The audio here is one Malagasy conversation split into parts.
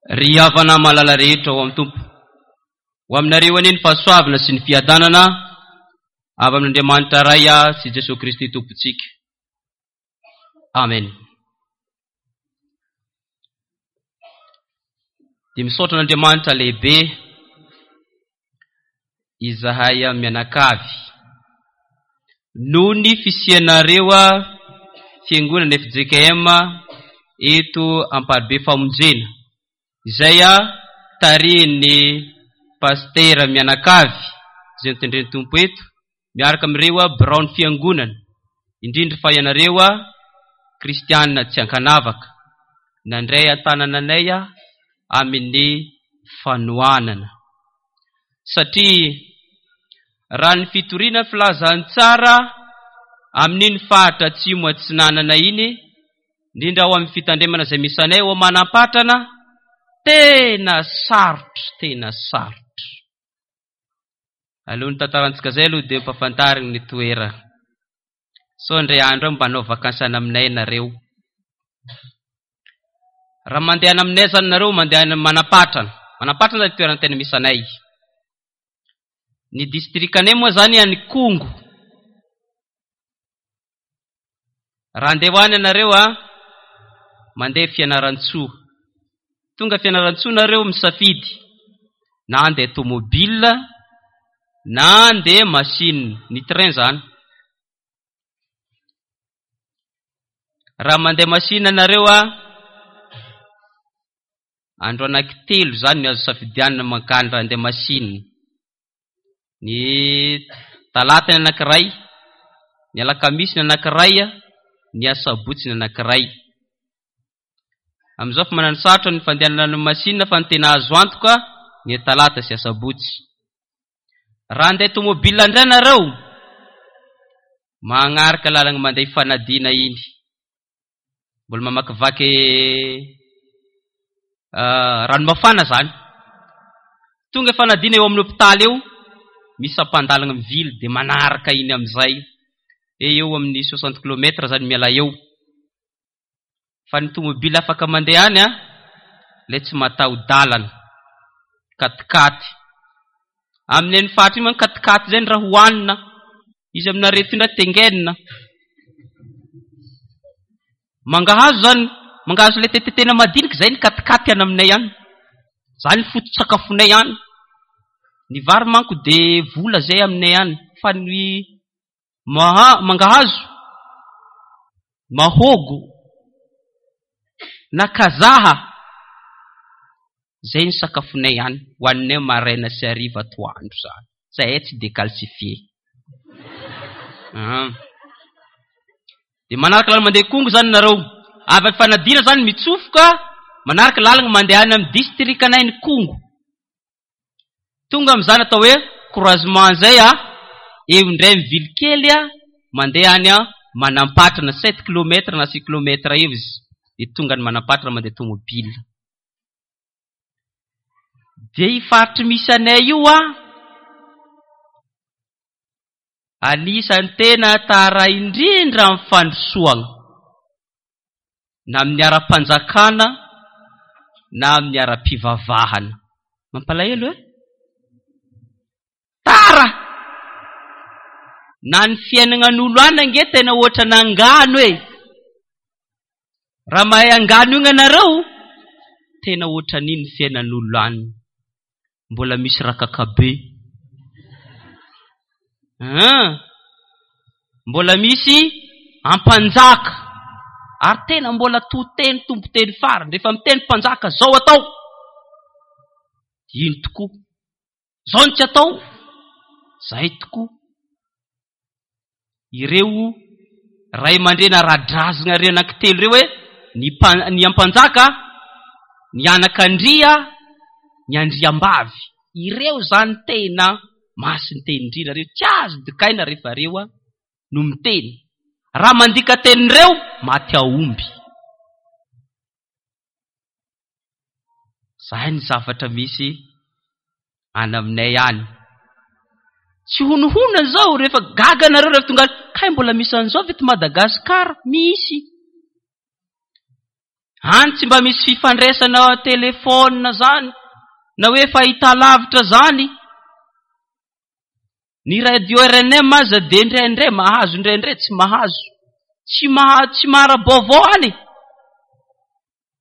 Ry havana malala rehetra ao amin'ny Tompo, ho aminareo anie ny fahasoavana sy ny fiadanana avy amin'Andriamanitra Ray sy Jesoa Kristy Tompontsika. Amen. Dia misaotra an'Andriamanitra lehibe izahay mianakavy noho ny fisianareo fiangonana FJKM eto Amparibe Famonjena izay tarihin'ny pasitera mianakavy izay notendren'ny Tompo eto miaraka amin'ireo biraon'ny fiangonana, indrindra fa ianareo kristiana tsy ankanavaka nandray an-tanana anay amin'ny fanohanana. Satria raha ny fitoriana filazantsara amin'iny faritra atsimo atsinanana iny, indrindra ao amin'ny fitandremana izay misy anay ao Manampatrana, tena sarotra, tena sarotra. Alohan'ny tantarantsika izay aloha dia ampahafantarina ny toerana. Sao indray andro any mba hanao vakansy any aminay nareo. Raha mandeha any aminay zany nareo, mandeha any Manampatrana. Manampatrana zany toerana tena misy anay. Ny distrikanay moa zany any Kongo. Raha handeha ho any ianareo a, mandeha Fianarantsoa. Tonga Fianarantsoa nareo misafidy na handeha tomobile na handeha machine, ny train zany. Raha mandeha machine nareo a, andro anankitelo zany ny azo safidianina mankany raha handeha machine. Ny talata ny anankiray, ny alakamisy ny anankiray, ny asabotsy ny anankiray. Amin'izao fa manano sarotra ny fandehanana ny machine fa ny tena azo antoka ny talata sy asabotsy. Raha handeha tomobile indray nareo, magnaraka lalagna mandeha Ifanadiana iny. Mbola mamakivaky ranomafana zany. Tonga Ifanadiana eo amin'ny hopitaly eo, misy sampan-dalagna mivily dia manaraka iny amin'izay. Eo amin'ny soixante kilomètre zany miala eo. Fa ny tomobile afaka mandeha any an, ilay tsy mataho-dalana, katikaty. Amin'iny faritra iny manko katikaty izay ny raha hohanina, izy aminareo ity indray tengenina. Mangahazo zany, mangahazo ilay tetetena madinika izay ny katikaty any aminay any. Izany ny foto-tsakafonay any. Ny vary manko dia vola izay aminay any, fa ny maha, mangahazo, mahogo na kazaha, zay ny sakafonay any, hohaninay maraina sy hariva atoandro zany, zahay tsy decalcifié. Dia manaraka lalana mandeha Kongo zany nareo, avy Ifanadiana zany mitsofoka manaraka lalana mandeha any amin'ny distrikanay ny Kongo. Tonga amin'izany atao hoe croisement izay a, eo indray mivily kely a, mandeha any a Manampatrana, sept kilomètre na six kilomètre eo izy, dia tonga any Manampatrana mandeha tomobile. Dia io faritry misy anay io a, anisan'ny tena tara indrindra amin'ny fandrosoana, na amin'ny ara-panjakana na amin'ny ara-pivavahana. Mampalahelo e? Tara! Na ny fiainagnan'olo any ange tena ohatran'angano e! Raha mahay angano io ianareo, tena ohatran'iny ny fiainan'olo any. Mbola misy rakakabe. An! Mbola misy ampanjaka. Ary tena mbola to teny tompo teny farany. Rehefa miteny mpanjaka, zao atao. Ino tokoa. Zao no tsy atao. Zay tokoa. Ireo ray aman-dreny ara-drazana ireo anankitelo ireo hoe ny mpa-, ny ampanjaka, ny anakandria, ny andriambavy. Ireo izany tena masin-teny indrindra ireo. Tsy azo dikaina rehefa ireo no miteny. Raha mandika tenin'ireo, maty aomby. Zay ny zavatra misy any aminay any. Tsy honohono zao rehefa gaga nareo rehefa tonga any, kay mbola misy an'izao ve eto Madagascar? Misy. Any tsy mba misy fifandraisana telefaonina zany na hoe fahitalavitra zany. Ny radio RNM aza dia indraindray mahazo, indraindray tsy mahazo. Tsy maha, tsy mahara-baovao any.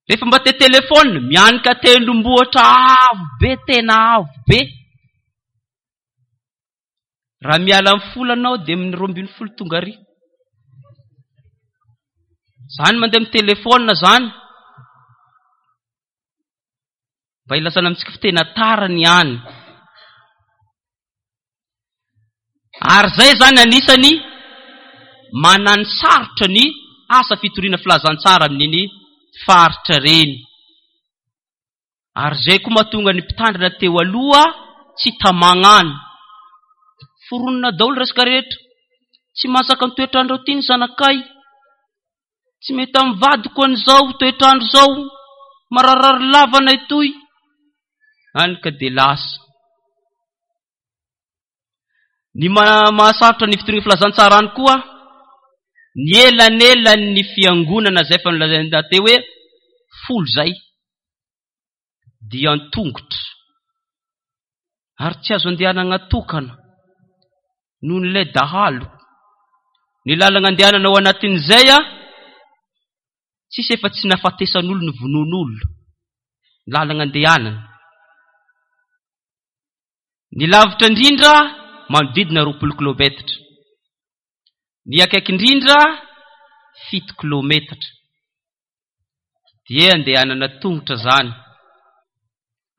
Rehefa mba te telefaonina, mianika tendrombohitra avo be, tena avo be. Raha miala amin'ny folo anao dia amin'ny 12 tonga ary. Zany mandeha amin'ny telefaonina zany. Mba ilazana amintsika fa tena tara ny any. Ary zay zany anisany manany sarotra ny asa fitoriana filazantsara amin'iny faritra reny. Ary zay koa mahatonga ny mpitandrina teo aloha tsy tamagna any. Foronina daholo resaka rehetra. Tsy mahazaka ny toetr'andro aty ny zanakay. Tsy mety amin'ny vadiko an'izao toetr'andro izao. Mararary lava anay toy. Any ka dia lasa. Ny mahasarotra ny fitoriana filazantsara any koa, ny elanelan'ny fiangonana izay efa nolazaina teo hoe 10 izay dia an-tongotra ary tsy azo andehanana tokana noho ny ilay dahalo. Ny lalana andehanana ao anatin'izay a, tsisy efa tsy nahafatesan'olona ny vonoan'olona, ny lalana andehanana. Ny lavitra indrindra manodidina 20 kilometatra. Ny akaiky indrindra 7 kilometatra. Dia andehanana tongotra zany.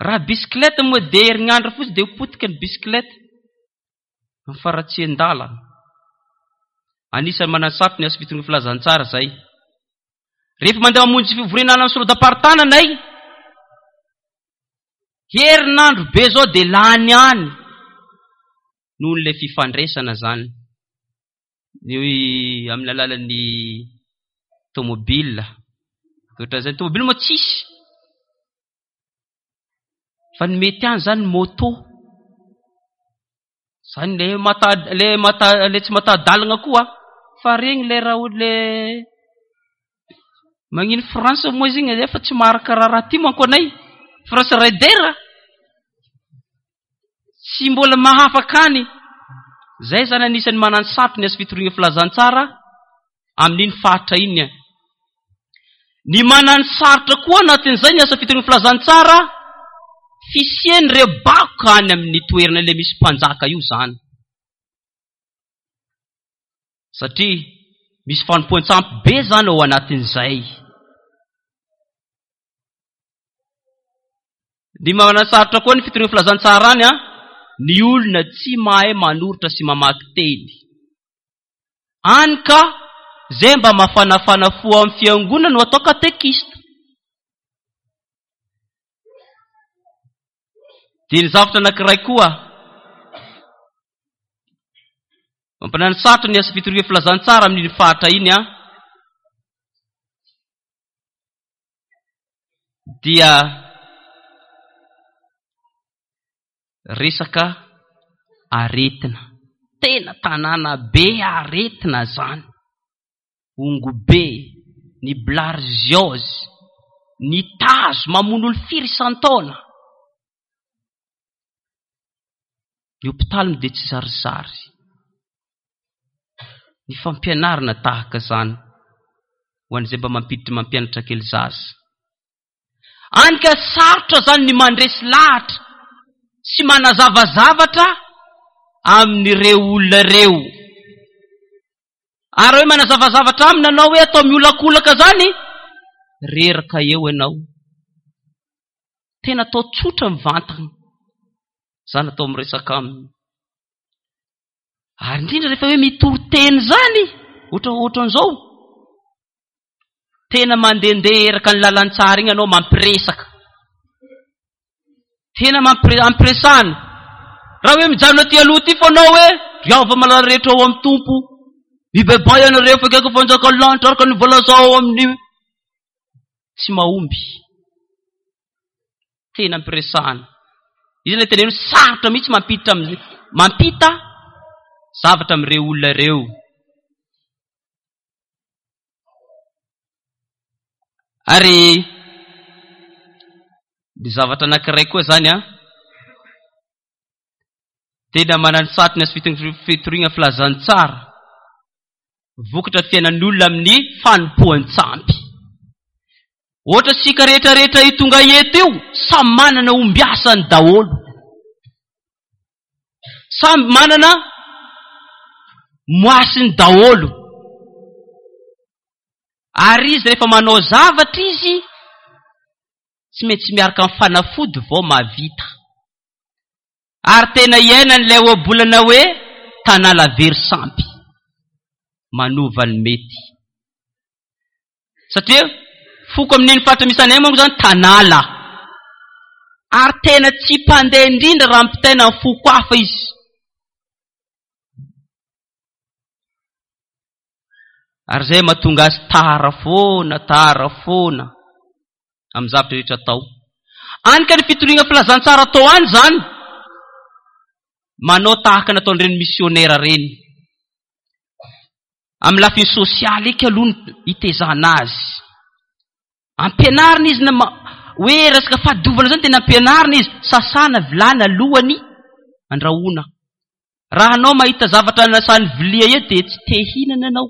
Raha bisikileta moa dia herinandro fotsiny dia ho potika ny bisikileta. Amin'ny faratsian-dalana. Anisan'ny manasarotra ny asa fitoriana filazantsara izay. Rehefa mandeha mamonjy fivoriana any amin'ny synodam-paritany anay, herinandro be zao dia lany any noho n'ilay fifandraisana zany. Ny amin'ny alalan'ny tomobile. Ohatran'izay ny tomobile moa tsisy. Fa ny mety any zany moto. Zany le mata le mata le tsy mataha-dalana koa fa regny le raha le magnino France moa izy igny efa tsy maharaka raharaha ty manko anay. France Raider tsy mbola mahafaka any. Zay zany anisan'ny manano sarotra ny asa fitoriana filazantsara amin'iny faritra iny. Ny manano sarotra koa anatin'izay ny asa fitoriana filazantsara, fisian'ireo bakoka any amin'ny toerana ilay misy mpanjaka io zany. Satria misy fanompoan-tsampy be zany ao anatin'izay. Ny manasarotra koa ny fitoriana filazantsara any, ny olona tsy mahay manoratra sy mamaky teny. Any ka zay mba mafanafana fo amin'ny fiangonana no atao katekista. Dia ny zavatra anankiray koa mampanano sarotra ny asa fitoriana filazantsara amin'iny faritra iny an, dia resaka aretina. Tena tanàna be aretina zany. Ongobe, ny bilharziose, ny tazo mamono olo firy isan-taona. Ny hopitaly moa dia tsy zarizary. Ny fampianarana tahaka izany ho an'izay mba mampiditra mampianatra kely zaza. Any ka sarotra zany ny mandresy lahatra sy manazava zavatra amin'ireo olona ireo. Ary hoe manazava zavatra aminy anao hoe atao miolakolaka zany, reraka eo ianao. Tena atao tsotra mivantana. Zany atao miresaka aminy. Ary indrindra rehefa hoe mitory teny zany, ohatra ohatran'izao, tena mandehandeha eraka ny lalantsara iny ianao mampiresaka. Tena ampiresahana. Raha hoe mijanona aty aloha aty foana hoe ry hava malala rehetra ao amin'ny Tompo, mibebaha ianareo fa akaiky ny fanjakan'ny lanitra araka ny voalaza ao amin'ny tsy mahomby. Tena ampiresahana. Izy ilay teneno sarotra mihitsy mampiditra amin'ny mampita zavatra amin'ireo olona ireo. Ary ny zavatra anankiray koa zany an, tena mananosarotra ny asa fitoriana filazantsara, vokatra fiainan'ny olona amin'ny fanompoan-tsampy. Ohatra isika rehetra rehetra io tonga eto io, samy manana ombiasany daholo. Samy manana moasiny daholo. Ary izy rehefa manao zavatra izy, tsy maintsy miaraka amin'ny fanafody vao mahavita. Ary tena iainan'ilay ohabolana hoe tanala very sampy. Manova ny mety. Satria foko amin'iny faritra misy anay manko zany tanala. Ary tena tsy mpandeha indrindra raha ampitaina amin'ny foko hafa izy. Ary izay mahatonga azy tara foana, tara foana amin'ny zavatra rehetra atao. Any ka ny fitoriana filazantsara atao any izany, manao tahaka ny ataon'ireny misionera ireny. Amin'ny lafiny sosialy eky aloha no itezana azy. Ampianarina izy na hoe resaka fahadiovana izany tena ampianarina izy. Sasana vilany alohany andrahoana. Raha anao mahita zavatra nasan'ny vilia eo dia tsy te hihinana ianao.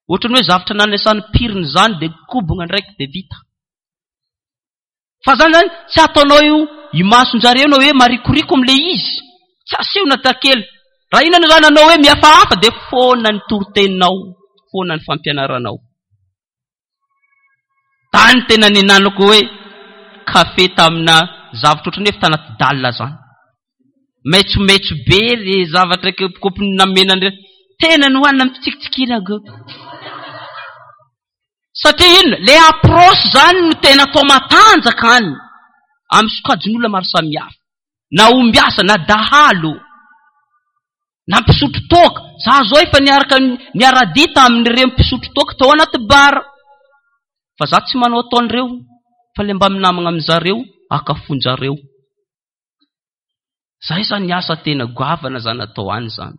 Ohatran'ny hoe zavatra nanasan'ny pirina izany dia kobogna ndraiky dia vita. Fa zany zany tsy ataonao io imason-jareo na hoe marikoriko amin'ilay izy. Tsy aseho na takely. Raha inona zany anao hoe mihafahafa dia foana ny toriteninao, foana ny fampianaranao. Tany tena ninanako hoe kafe tamina zavatra ohatran'ny hoe tanaty dalle zany. Maitsomaitso be le zavatra kopikopy namena tena nohanina mitsikitsikiana. Satria inona? Le approche zany no tena atao matanjaka any amin'ny sokajin'olona maro samihafa. Na ombiasa, na dahalo, na mpisotro toaka. Za zao efa niaraka niara-dia tamin'ireo mpisotro toaka tao anaty bar. Fa za tsy manao ataon'ireo, fa le mba minamagna amin'zareo, akafonjareo. Zay zany asa tena goavana zany atao any zany.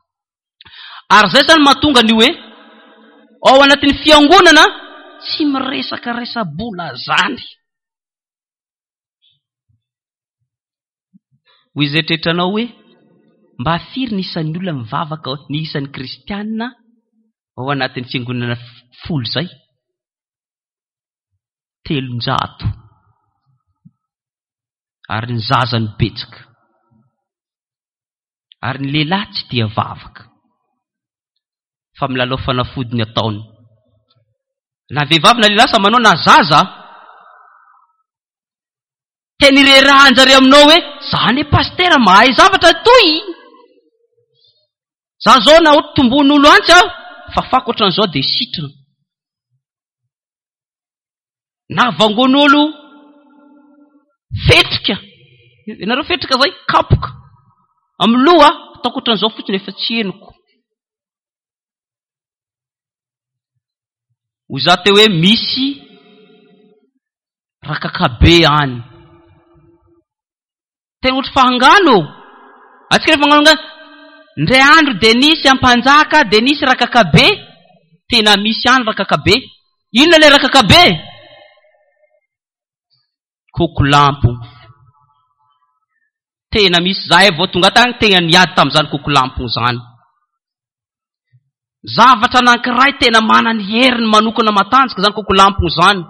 Ary zay zany mahatonga ny hoe ao anatin'ny fiangonana tsy miresaka resa-bola zany. Ho izay tretranao hoe mba firy ny isan'ny olona mivavaka ny isan'ny kristianina ao anatin'ny fiangonana folo zay? 300. Ary ny zaza no betsaka. Ary ny lehilahy tsy tia vavaka. Fa milalao fanafody ny ataony. Na vehivavy na lehilahy samy manao na zaza. Teny irerahan-jareo aminao hoe za anie pasitera mahay zavatra toy. Za zao na ohatra tombon'olo antsy aho, fafako ohatran'izao dia sitrana. Na vangon'olo fetrika. Ianareo fetrika zay? Kapoka. Amin'ny loha, ataoko ohatran'izao fotsiny efa tsy henoko. Ho za teo hoe misy rakakabe any. Tena ohatry fahangano ô! Antsika rehefa magnano angano, ndray andro dia nisy ampanjaka, dia nisy rakakabe, tena misy any rakakabe. Inona ilay rakakabe? Kokolampo. Tena misy, zahay vao tonga tany tena niady tamin'izany kokolampo izany. Zavatra anankiray tena manana ny heriny manokana matanjaka izany kokolampo izany.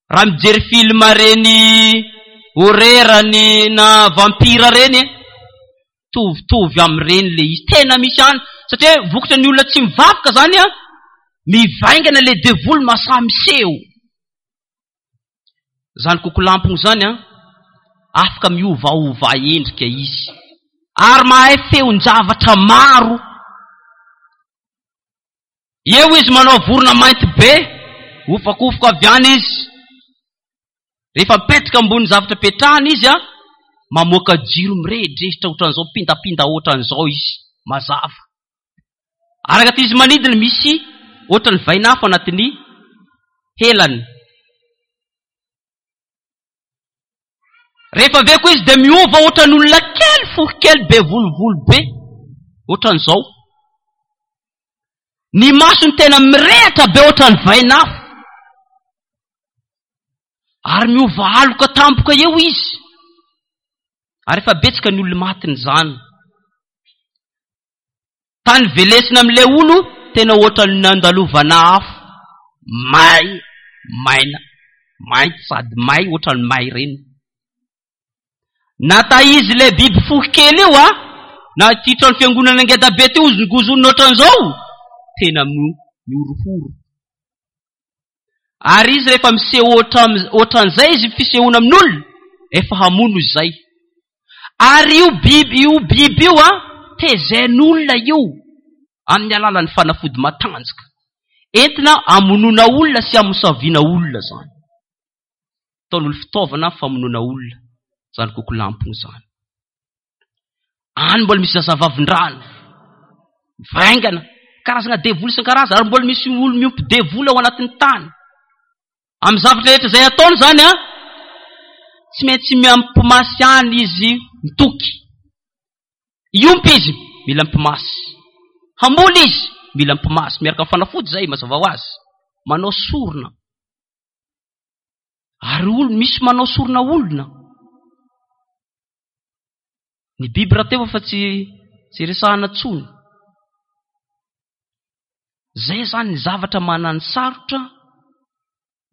Raha mijery film reny horreur ny na vampire reny e, tovitovy amin'ireny le izy. Tena misy any satria vokatra ny olona tsy mivavaka zany a, mivaingana le devoly masaha miseho. Zany kokolampogno zany a, afaka miovaova endrika izy ary mahay feon-javatra maro. Eo izy manao vorona mainty be, hofakofoka avy any izy. Rehefa mipetraka ambony zavatra petrahana izy a, mamoaka jiro mirehidrehitra ohatran'izao, pindapinda ohatran'izao izy, mazava. Araka ty izy manidina misy ohatran'ny vainafo anatin'ny helany. Rehefa avy eo koa izy dia miova ohatran'olona kely, fohy kely, be volovolo be, ohatran'izao. Ny masony tena mirehatra be ohatran'ny vainafo. Ary miova aloka tampoka eo izy. Ary efa betsaka ny olona matin'izany. Tany velesina amin'ilay olo tena ohatran'ny nandalovana afo. May, maina, mainty sady may ohatran'ny may ireny. Na taiza ilay biby fohy kely io a, na ity trano fiangonana ngeda be ty hozongozonina ohatran'izao, tena mihorohoro. Ary izy rehefa miseho ohatran'izay izy fisehoana amin'olona, efa hamono izy zay. Ary io biby io biby io a, tezain'olona io amin'ny alalan'ny fanafody matanjaka. Entina hamonoana olona sy hamosaviana olona zany. Ataon'olo fitaovana famonoana olona zany kokolampona zany. Any mbola misy zazavavindrano, vaingana, karazana devoly isan-karazany, ary mbola misy olo miompy devoly ao anatin'ny tany. Amin'ny zavatra rehetra izay ataony zany an, tsy maintsy miampimasy ihany izy mitoky. Hiompy izy, mila mpimasy. Hamboly izy, mila mpimasy. Miaraka amin'ny fanafody izay, mazava ho azy. Manao sorona. Ary olo, misy manao sorona olona. Ny biby rahateo efa tsy tsy resahana tsony. Zay zany ny zavatra manany sarotra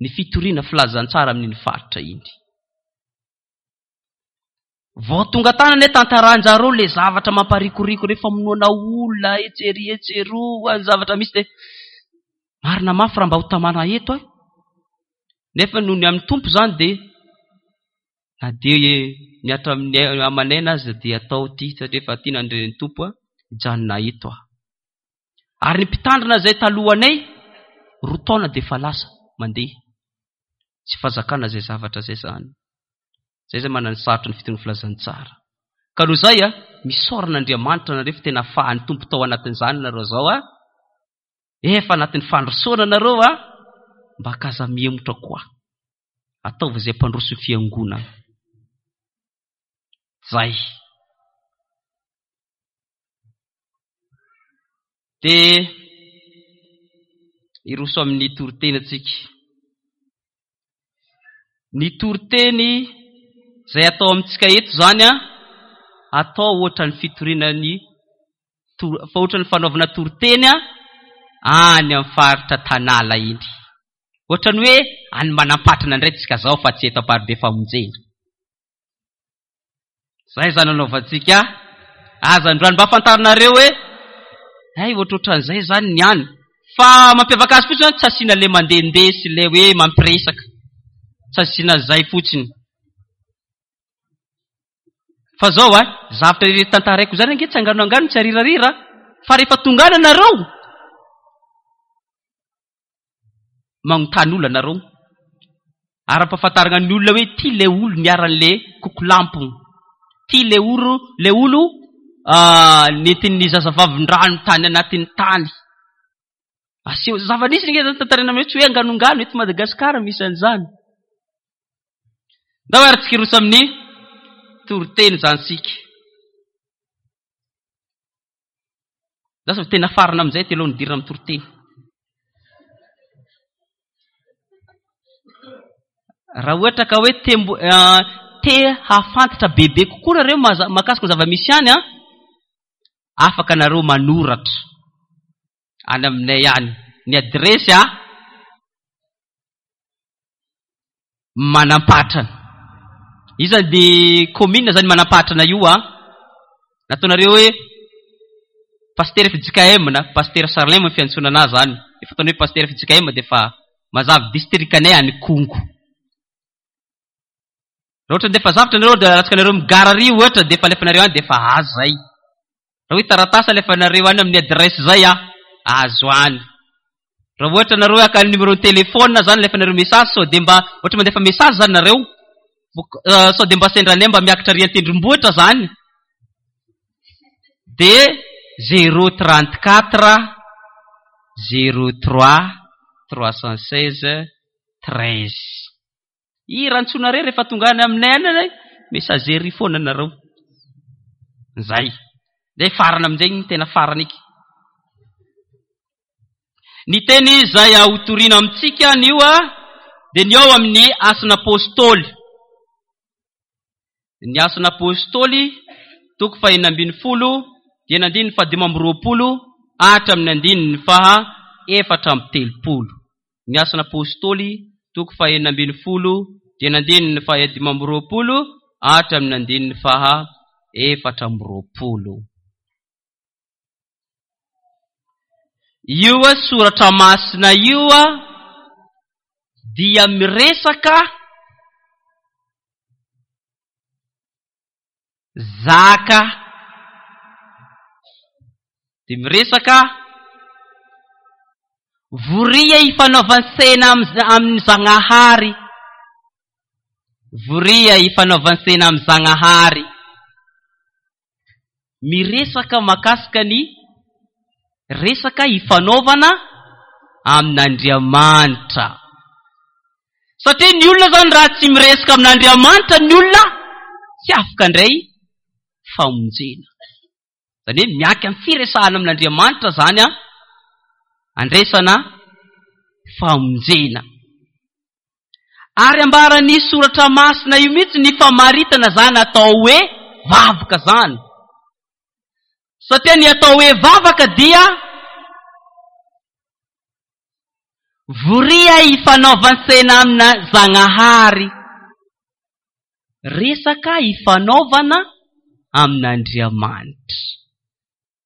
ny fitoriana filazantsara amin'iny faritra iny. Vao tonga tany anie tantaran-jareo le zavatra mamparikoriko re famonoana olona etsy ery etsy eroa ny zavatra misy de marina mafy raha mba ho tamana eto eh. Nefa noho ny amin'ny Tompo zany de na dia mihatra amin'ny aman'aina aza dia atao ity satria efa tiana ny renin'ny Tompo a, hijanona eto aho. Ary ny mpitandrina izay talohanay roa taona dia efa lasa mandeha. Tsy fahazakana izay zavatra izay izany. Izay izay manana ny sarotra ny fitonian'ny filazantsara. Ka noho izay a, misaora an'Andriamanitra nareo fa tena afahan'ny Tompo tao anatin'izany nareo izao a. Efa anatin'ny fandrosoana nareo a, mba kaza mihemotra koa. Ataovy izay mpandroso ny fiangonana. Zay. Dia hiroso amin'ny toriteny antsika. Ny toriteny izay atao amintsika eto izany an, atao ohatran'ny fitoriana ny fa ohatran'ny fanaovana toriteny an, any amin'ny faritra Tanala iny. Ohatran'ny hoe any Manampatrana indray tsika zao fa tsy eto Amparibe Famonjena. Zay zany anaovantsika aza androany mba fantarinareo hoe hay ohatrohatran'izay zany ny any. Fa mampiavaka azy fotsiny tsy asiana le mandehandeha sy le hoe mampiresaka. Tsy asiana an'izay fotsiny. Fa zao a, zavatra ireto tantaraiko zany ange tsy angano angano tsy arirarira fa rehefa tonga any anareo magnontany olona nareo ary ampahafantarina ny olona hoe ty le olo niharan'le kokolampona, ty le oro le olo nentin'ny zazavavindrano tany anatin'ny tany. Aseho zava-nisy nge zany tantaraina aminareo, tsy hoe anganongano, eto Madagasikara misy an'izany. Ndao ary tsika hiroso amin'ny toriteny izany tsika. Lasa tena farana amin'izay telo nidirana amin'ny toriteny. Raha ohatra ka hoe te mbo-, te hahafantatra bebe kokoa nareo mahakasika ny zava-misy any an, afaka nareo manoratra any aminay any. Ny adiresy a Manampatrana. Iza ny commune zany Manampatrana io a? Nataonareo hoe Pasitera FJKM na Pasitera Charlin moa ny fiantsoana anazy zany. Efa ataonay hoe Pasitera FJKM dia efa mazava distrikanay any Kongo. Raha ohatra ndefa zavatra nareo dia alatsaka nareo migara ary ohatra dia efa alefanareo any dia efa azo zay. Raha hoe taratasy alefanareo any amin'ny adresse zay a, azo any. Raha ohatra nareo haka ny numéro téléphone zany alefanareo message sao dia mba ohatra mandefa message zany nareo sao dia mba sendra anay mba miakatra ary an-tendrombohitra zany dia zéro trente quatre zéro trois trois cent seize treize. Hira antsoinareo rehefa tonga any aminay any ilay messagerie foana nareo. Zay. Zay farany amin'izay ny tena farany iky. Ny teny izay hotorina amintsika anio a dia ny ao amin'ny Asan'Apôstôly. Ny Asan'Apôstôly toko fahenina ambin'ny folo dia ny andininy fahadimy amby roapolo hatramin'ny andininy faha efatra amby telopolo. Ny Asan'Apôstôly toko fahenina ambin'ny folo dia ny andininy fahadimy amby roapolo hatramin'ny andininy faha efatra amby roapolo. Io soratra masina io dia miresaka zaka, dia miresaka voria ifanaovan-tsena amin'ny Zagnahary, voria ifanaovan-tsena amin'ny Zagnahary. Miresaka mahakasika ny resaka ifanaovana amin'Andriamanitra. Satria ny olona zany raha tsy miresaka amin'Andriamanitra ny olona tsy afaka handray famonjena. Zany hoe miaky amin'ny firesahana amin'Andriamanitra zany an, andraisana famonjena. Ary ambaran'ny soratra masina io mihitsy ny famaritana zany atao hoe vavaka zany. Satria ny atao hoe vavaka dia voria ifanaovan-tsena amina Zagnahary. Resaka ifanaovana amin'Andriamanitra.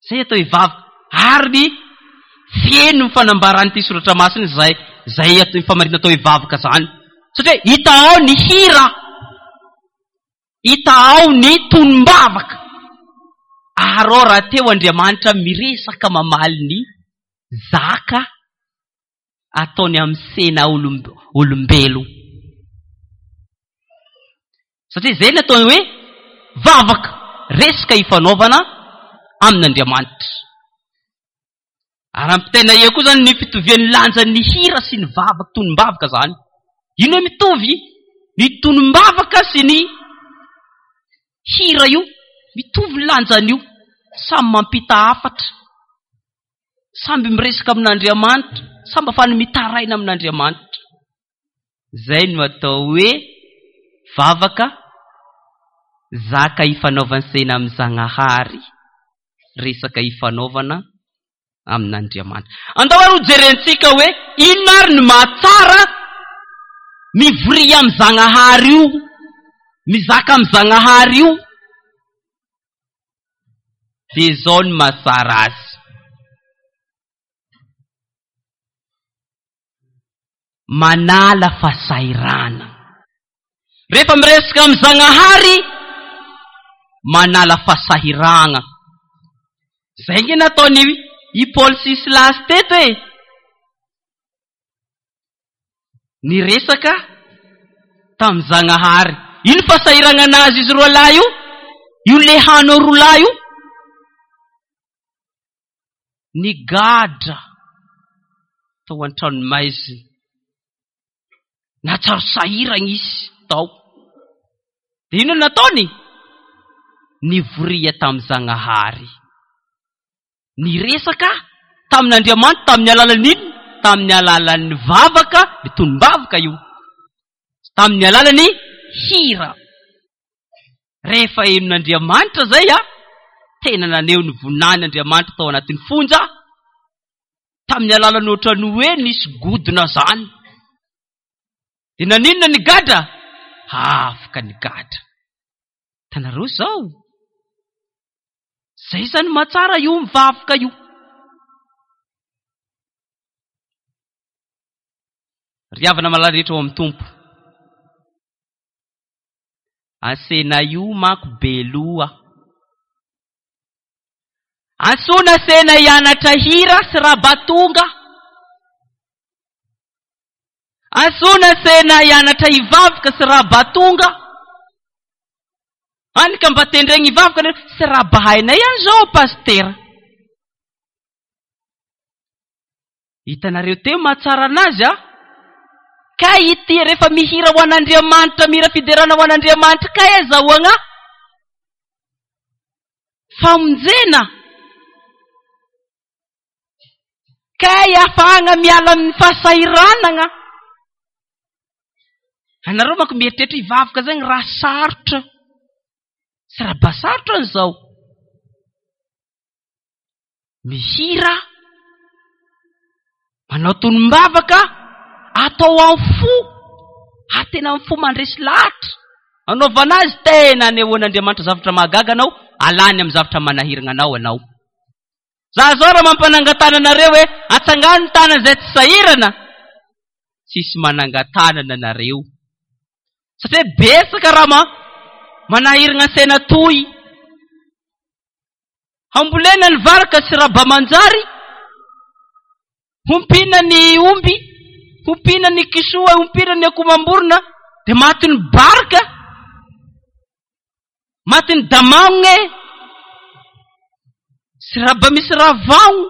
Izay atao hoe vavaka. Ary ny feno ny fanambaran'ity soratra masina izay, izay atao famaritana atao hoe vavaka izany. Satria hita ao ny hira, hita ao ny tonom-bavaka. Ary ao rahateo Andriamanitra miresaka mamaly ny zaka ataony amin'ny sena olombelo. Satria izay ny ataony hoe vavaka, resaka ifanaovana amin'Andriamanitra. Ary ampitaina eo koa izany ny fitovian'ny lanjan'ny hira sy ny vavaka, tonom-bavaka izany. Ino hoe mitovy? Ny tonom-bavaka sy ny hira io, mitovy ny lanjan'io. Samy mampita hafatra. Samby miresaka amin'Andriamanitra, samby afahany mitaraina amin'Andriamanitra. Izay no atao hoe vavaka zaka ifanaovan-tsena amin'i Zagnahary, resaka ifanaovana amin'Andriamanitra. Andao ary hojerentsika hoe inona ary no mahatsara mivoria amin'i Zagnahary io, mizaka amin'i Zagnahary io. Dia izao no mahatsara azy. Manala fahasahiranana. Rehefa miresaka amin'i Zagnahary, manala fahasahiranana. Izay nge nataon'i i Paoly sy Silasy teto e. Niresaka tamin'i Zagnahary. Ino fahasahiranana azy izy roalahy io? Io lehano roalahy io? Nigadra tao an-tranomaizina. Nahatsiaro sahirana izy tao. Dia inona no nataony? Nivoria tamin'i Zagnahary. Niresaka tamin'Andriamanitra tamin'ny alalan'ny inona? Tamin'ny alalan'ny vavaka, ny tonom-bavaka io. Tamin'ny alalan'ny hira. Rehefa henon'Andriamanitra izay a, tena naneho ny voninahiny Andriamanitra tao anatin'ny fonja, tamin'ny alalan'ny ohatran'ny hoe nisy godona izany. Dia naninona ny gadra? Afaka ny gadra. Hitanareo izao? Izay izany mahatsara io mivavaka io. Ry havana malala rehetra ao amin'ny Tompo. Asena io manko be loha. Antsoina asena hianatra hira sy rabatonga. Antsoina asena hianatra hivavaka sy rabatonga. Any ka mba tendregny hivavaka nareo sy rabahainay any zao pasitera. Hitanareo teo mahatsara anazy a! Kay ity rehefa mihira ho an'Andriamanitra, mihira fiderana ho an'Andriamanitra, kay azahoagna famonjena. Kay afahagna miala amin'ny fahasahiranagna. Anareo manko mieritreritra hivavaka zany raha sarotra. Tsy raha ba sarotra an'izao. Mihira, manao tonom-bavaka, atao amin'ny fo, ary tena amin'ny fo mandresy lahatra. Anaovana azy tena anehoan'Andriamanitra zavatra mahagaga anao, alany amin'ny zavatra manahirana anao ianao. Za zao raha mampanangan-tanana anareo hoe atsangano ny tanana izay tsy sahirana, tsisy manangan-tanana anareo. Satria betsaka raha ma manahirana saina toy. Hambolena ny vary ka tsy raba manjary, hompiana ny omby, hompiana ny kisoa, hompiana ny akoho amam-borona, dia matin'ny barika, matin'ny damagna e, sy raba misy ravagno,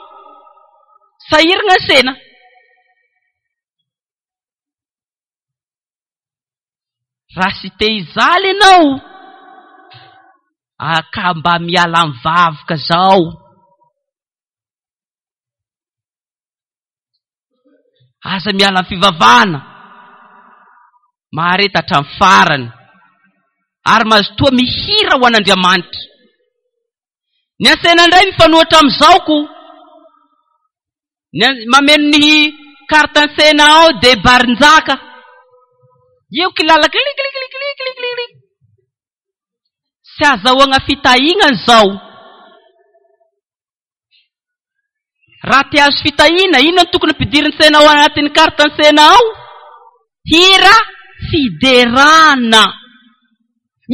sahirana sena. Raha sy te hijaly ianao, aka mba miala amin'ny vavoka zao. Aza miala amin'ny fivavahana. Mahareta hatramin'ny farany. Ary mazotoa mihira ho an'Andriamanitra. Ny antsena indray mifanohitra amin'izao ko. Ny mameno ny carte antsena ao dia barinjaka. Io kilala kliklikliklikliklik. Tsy azahoagna fitahiagna izao. Raha te hahazo fitahiana, inona no tokony ampidirin-tsaina ao anatin'ny carte antsena ao? Hira fiderana.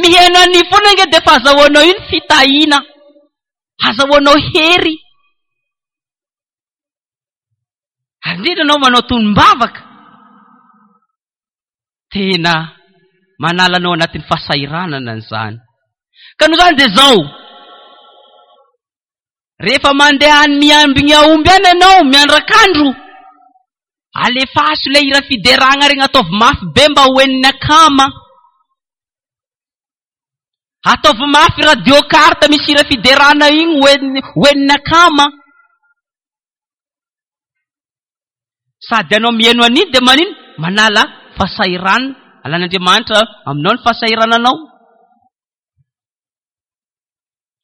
Mihaino an'iny foana ange dia efa azahoanao iny fitahiana. Azahoanao hery. Ary indrindra anao manao tonom-bavaka. Tena manala anao anatin'ny fahasahiranana izany. Ka noho izany dia izao. Rehefa mandeha any miambigna aomby any ianao, miandrakandro, alefaso ilay hira fideragna regny ataovy mafy be mba ho henon'ny akama. Ataovy mafy radio carte misy hira fiderana igny ho henon'ny akama. Sady ianao mihaino an'iny dia manino? Manala fahasahiranana. Alan'Andriamanitra aminao ny fahasahirananao.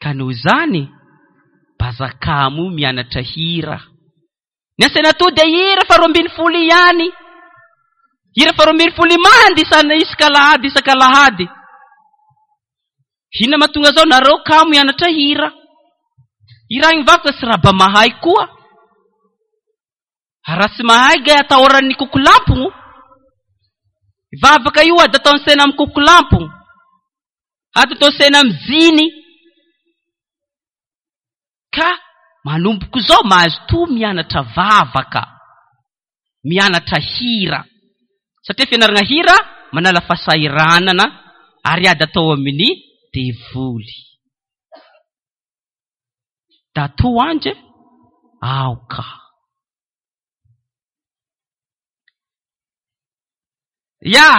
Ka noho izany, bazakamo mianatra hira. Ny asaina atoa dia hira faharoa ambin'ny folo ihany. Hira faharoa ambin'ny folo imandy isana isaka alahady isaka alahady. Inona mahatonga zao nareo kamo hianatra hira. Hiragny vakoka sy raha ba mahay koa. Raha tsy mahay gay atahoran'ny kokolampogno. Vavaka io ady ataon'ny saina amin'ny kokolampogno. Ady ataon'ny saina amin'ny jiny. Ka manomboka izao mazotoa mianatra vavaka, mianatra hira. Satria fianarana hira manala fahasahiranana ary ady atao amin'ny devoly. Dato Ange, aoka. Ya!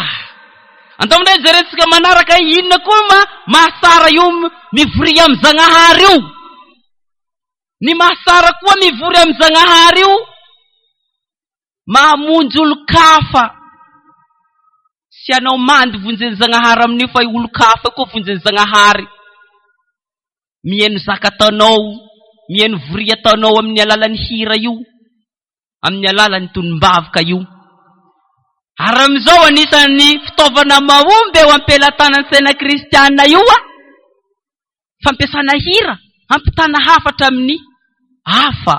Andao indray jerentsika manaraka inona koa ma mahasara io mivory amin'ny Zagnahary io. Ny mahasara koa mivory amin'ny Zagnahary io mahamonjy olon-kafa. Tsy anao mandy vonjen'i Zagnahary amin'io fa olon-kafa koa vonjen'i Zagnahary. Mihaino zaka ataonao, mihaino voria ataonao amin'ny alalan'ny hira io, amin'ny alalan'ny tonom-bavaka io. Ary amin'izao anisan'ny fitaovana mahomby eo am-pelatanan'ny saina kristiana io a, fampiasana hira hampitana hafatra amin'ny hafa.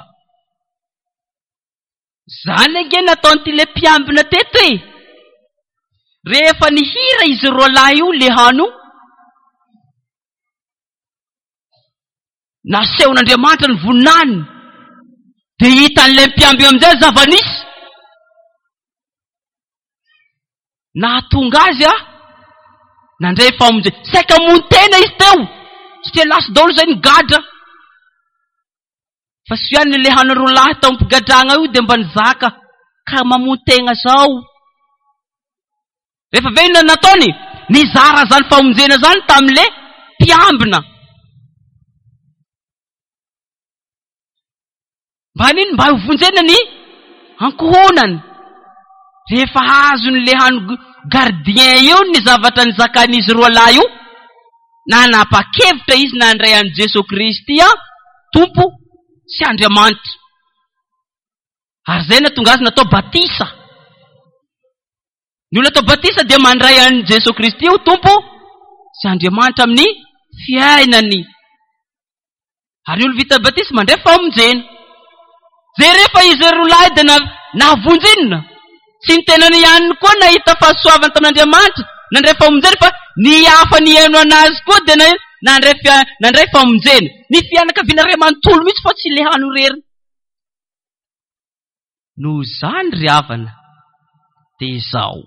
Zany ange nataon'ity le mpiambina teto e! Rehefa nihira izy roalahy io le hano, nasehon'Andriamanitra ny voninahiny, dia hitan'ilay mpiambina amin'izay ny zava-nisy. Nahatonga azy a nandray famonjena. Saika hamono tena izy teo, satria lasa daholo izay ny gadra. Fa soa ihany ilay hany roa lahy tao am-pigadragna io dia mba nizaka ka mamono tegna zao. Rehefa avy eo inona nataony? Nizara zany famonjena zany tamin'le mpiambina. Mba hanino? Mba hovonjena ny ankohonany. Rehefa azon'le hany gardien io ny zavatra nizakan'izy roalahy io, nanapa-kevitra izy nandray an'i Jesoa Kristy Tompo sy Andriamanitra. Ary izay nahatonga azy natao batisa. Ny olona atao batisa dia mandray an'i Jesoa Kristy ho Tompo sy Andriamanitra amin'ny fiainany. Ary ny olona vita batisa mandray famonjena. Jereo fa izy roa lahy dia nahavonjy inona? Tsy ny tenany ihany koa nahita fahasoavana tamin'Andriamanitra, nandray famonjena fa ny hafa nihaino anazy koa dia nandray nandray famonjena. Ny fianakaviana iray manontolo mihitsy fa tsy ilay hany irery. Noho izany ry havana dia izao.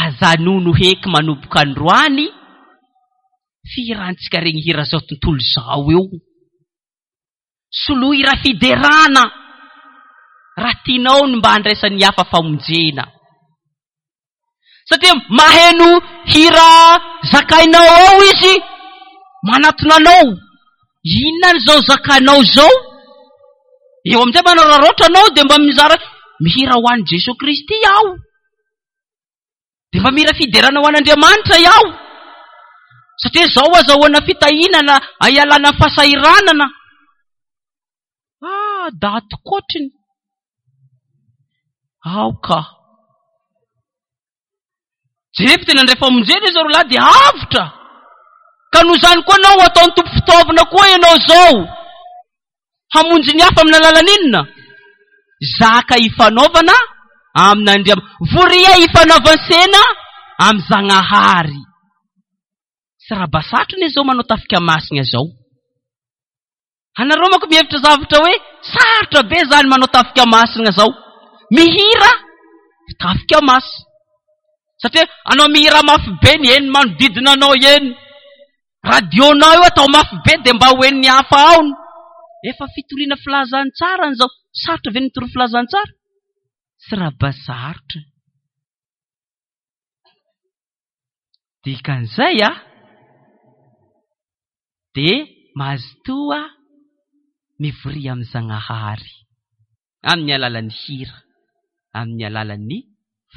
Azanono heky manomboka androany fihirantsika regny hira zao tontolo izao eo. Soloy hira fiderana raha tianao ny mba handraisan'ny hafa famonjena. Satria maheno hira zakainao ao izy, manatona anao. Inona an'izao zakanao izao? Eo amin'izay manararaotra anao dia mba mizara mihira ho an'i Jesoa Kristy aho. Dia mba mihira fiderana ho an'Andriamanitra aho. Satria izao azahoana fitahiana hialana amin'ny fahasahiranana. Ah, daty kotriny. Aoka. Jereo fa tena nandray famonjena izy roalahy dia avotra. Ka noho izany koa anao ataon'ny Tompo fitaovana koa ianao izao. Hamonjy ny hafa amin'ny alalan'inona? Zaka ifanaovana amin'Andriamanitra. Voria ifanaovan-tsena amin'ny Zagnahary. Tsy raha sarotra anie izao manao tafika masina izao. Anareo manko mihevitra zavatra hoe sarotra be zany manao tafika masina zao. Mihira tafika masina. Satria anao mihira mafy be ny eny manodidina anao eny. Radio-nao io atao mafy be dia mba ho henon'ny hafa ao. Efa fitoriana filazantsara an'izao. Sarotra ve ny mitory filazantsara? Tsy raha sarotra. Dikan'izay a, dia mazotoa mivoria amin'i Zagnahary amin'ny alalan'ny hira, amin'ny alalan'ny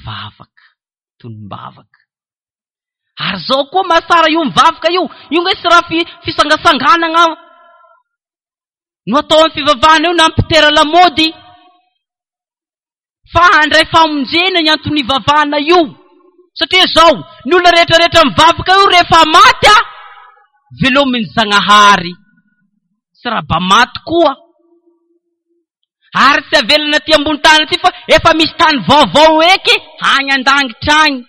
vavaka, tonom-bavaka. Ary zao koa mahatsara io mivavaka io, io nge tsy raha fisangasanganana no atao amin'ny fivavahana io na mpitera lamaody. Fa handray famonjena ny antony ivavahana io. Satria izao, ny olona rehetra rehetra mivavaka io rehefa maty a, velomin'ny Zagnahary. Tsy raha ba maty koa. Ary tsy avelana aty ambony tany aty fa efa misy tany vaovao eky any an-dangitra agny.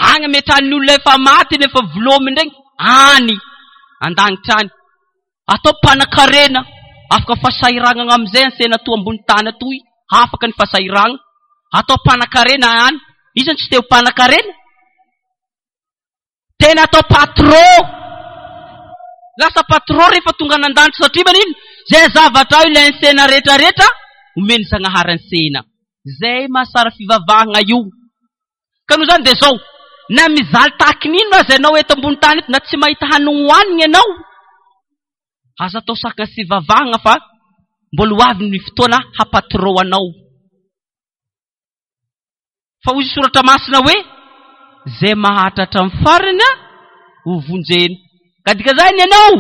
Agny ametrahan'ny olona efa maty nefa velominy regny any an-dangitra any. Atao mpanakarena, afaka fahasahiranana amin'izay ansena atoa ambony tany atoy, afaka ny fahasahiragna. Atao mpanakarena any. Iza no tsy te ho mpanakarena? Tena atao patron. Lasa patron rehefa tonga any an-danitra satria manino? Zay zavatra ao ilay ansena rehetra rehetra omen'ny Zagnahary ansena. Zay mahasara fivavahagna io. Ka noho izany dia izao, na mijaly tahaky ny inona aza ianao eto ambony tany eto, na tsy mahita hanogno hohanina ianao, aza atao sakana sy vavahagna fa mbola ho avy ny fotoana hampatirao anao. Fa hoy soratra masina hoe, izay maharitra hatramin'ny farany ho vonjena. Ka dikazany ianao,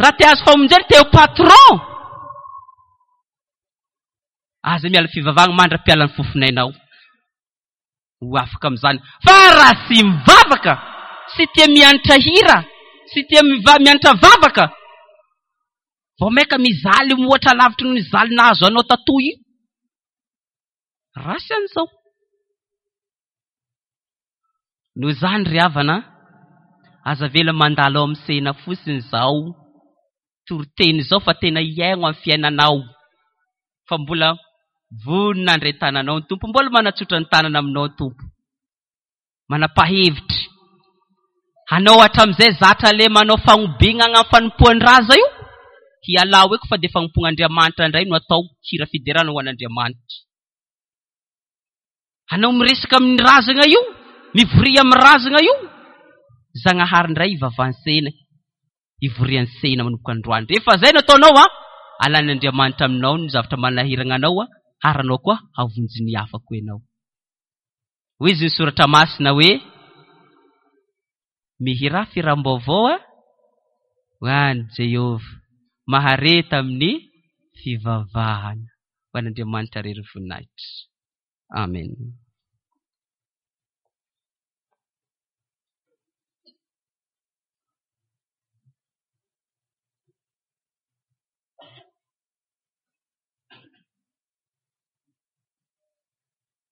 raha te hahazo famonjena, te ho patron, aza miala fivavahagna mandra-piala ny fofonainao. Ho afaka amin'izany. Fa raha tsy mivavaka, tsy tia mianatra hira, tsy tia mianatra vavaka, vao maika mijaly mihoatra lavitry noho ny jaly nahazo anao tatoa io. Rasy an'izao. Noho izany ry havana, aza avela mandalo ao amin'ny sehina fotsiny izao toriteny izao fa tena hiaino amin'ny fiainanao. Fa mbola vonona handray tananao ny Tompo, mbola manatsotra ny tanana aminao ny Tompo. Manapa-hevitra. Anao hatramin'izay zatra le manao fagnobignana amin'ny fanompoan-draza io, hialao eko fa dia fanompoan'Andriamanitra indray no atao, hira fiderana ho an'Andriamanitra. Anao miresaka amin'ny razagna io, mivoria amin'ny razagna io, Zagnahary indray ivavahan-tsena, ivorian-tsena manomboka androany. Rehefa izay no ataonao, alan'Andriamanitra aminao ny zavatra manahiragna anao. Ary anao koa hahavonjy ny hafa koa ianao. Hoy izy ny soratra masina hoe, Mihirà fihiram-baovao a ho an'i Jehovah, mahareta amin'ny fivavahana. Ho an'Andriamanitra irery ny voninahitra. Amen.